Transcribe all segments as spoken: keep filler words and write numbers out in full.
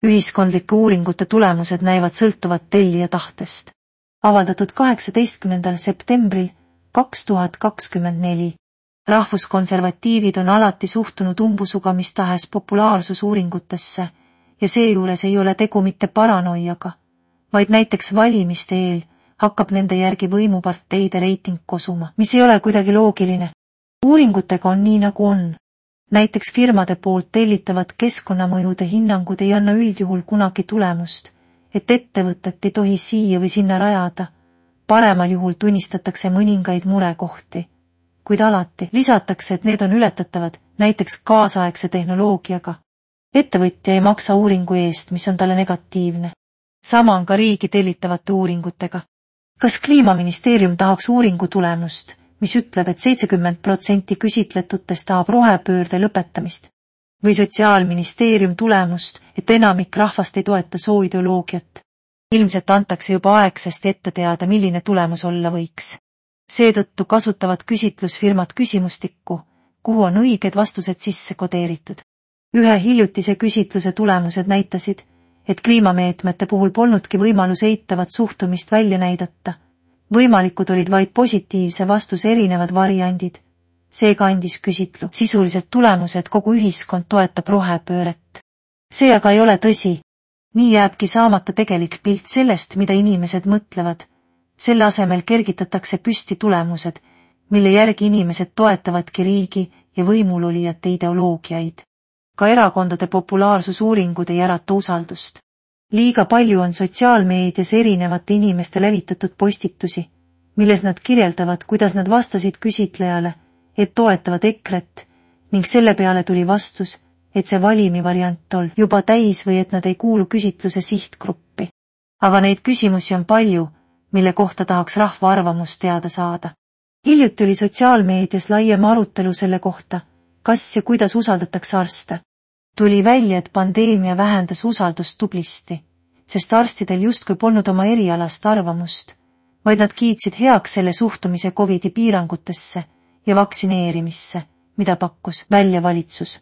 Ühiskondlike uuringute tulemused näivad sõltuvat tellija tahtest. Avaldatud kaheksateistkümnendal septembril kaks tuhat kakskümmend neli. Rahvuskonservatiivid on alati suhtunud umbusuga mis tahes populaarsusuuringutesse ja seejuures ei ole tegu mitte paranoiaga, vaid näiteks valimiste eel hakkab nende järgi võimuparteide reiting kosuma, mis ei ole kuidagi loogiline. Uuringutega on nii nagu on. Näiteks firmade poolt tellitavad keskkonnamõjude hinnangud ei anna üldjuhul kunagi tulemust, et ettevõtet ei tohi siia või sinna rajada. Paremal juhul tunnistatakse mõningaid murekohti, kuid alati lisatakse, et need on ületatavad, näiteks kaasaegse tehnoloogiaga. Ettevõtja ei maksa uuringu eest, mis on talle negatiivne. Sama on ka riigi tellitavate uuringutega. Kas Kliimaministeerium tahaks uuringu tulemust, mis ütleb, et seitsekümmend protsenti küsitletutest tahab rohepöörde lõpetamist? Või Sotsiaalministeerium tulemust, et enamik rahvast ei toeta sooideoloogiat? Ilmselt antakse juba aegsasti ette teada, milline tulemus olla võiks. Seetõttu kasutavad küsitlusfirmad küsimustikku, kuhu on õiged vastused sisse kodeeritud. Ühe hiljutise küsitluse tulemused näitasid, et kliimameetmete puhul polnudki võimalus eitavat suhtumist välja näidata. Võimalikud olid vaid positiivse vastuse erinevad variandid. Seega andis küsitlu sisuliselt tulemuse, et kogu ühiskond toetab rohepööret. See aga ei ole tõsi. Nii jääbki saamata tegelik pilt sellest, mida inimesed mõtlevad. Selle asemel kergitatakse püsti tulemused, mille järgi inimesed toetavadki riigi ja võimulolijate ideoloogiaid. Ka erakondade populaarsusuuringud ei ärata usaldust. Liiga palju on sotsiaalmeedias erinevate inimeste levitatud postitusi, milles nad kirjeldavad, kuidas nad vastasid küsitlejale, et toetavad EKRE-t, ning selle peale tuli vastus, et see valimi variant on juba täis või et nad ei kuulu küsitluse sihtgruppi. Aga neid küsimusi on palju, mille kohta tahaks rahva arvamust teada saada. Hiljuti oli sotsiaalmeedias laiem arutelu selle kohta, kas ja kuidas usaldatakse arste. Tuli välja, et pandeemia vähendas usaldust tublisti, sest arstidel justkui polnud oma erialast arvamust, vaid nad kiitsid heaks selle suhtumise covidi piirangutesse ja vaktsineerimisse, mida pakkus välja valitsus.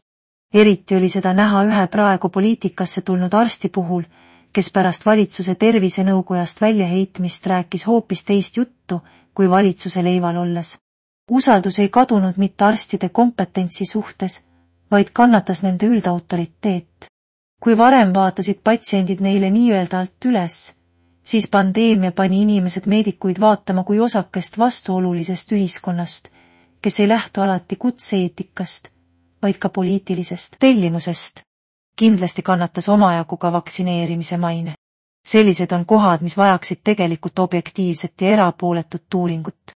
Eriti oli seda näha ühe praegu poliitikasse tulnud arsti puhul, kes pärast valitsuse tervisenõukojast väljaheitmist rääkis hoopis teist juttu kui valitsuse leival olles. Usaldus ei kadunud mitte arstide kompetentsi suhtes, vaid kannatas nende üldautoriteet. Kui varem vaatasid patsiendid neile nii-öelda alt üles, siis pandeemia pani inimesed meedikuid vaatama kui osakest vastuolulisest ühiskonnast, kes ei lähtu alati kutse-eetikast, vaid ka poliitilisest tellimusest. Kindlasti kannatas omajagu ka vaktsineerimise maine. Sellised on kohad, mis vajaksid tegelikult objektiivset ja erapooletut uuringut.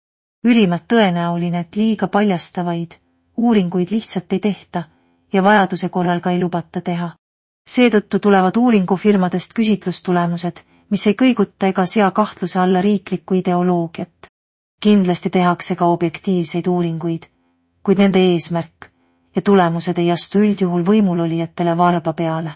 Ülimalt tõenäoline, et liiga paljastavaid uuringuid lihtsalt ei tehta ja vajaduse korral ka ei lubata teha. Seetõttu tulevad uuringufirmadest küsitlustulemused, mis ei kõiguta ega sea kahtluse alla riiklikku ideoloogiat. Kindlasti tehakse ka objektiivseid uuringuid, kuid nende eesmärk ja tulemused ei astu üldjuhul võimulolijatele varba peale.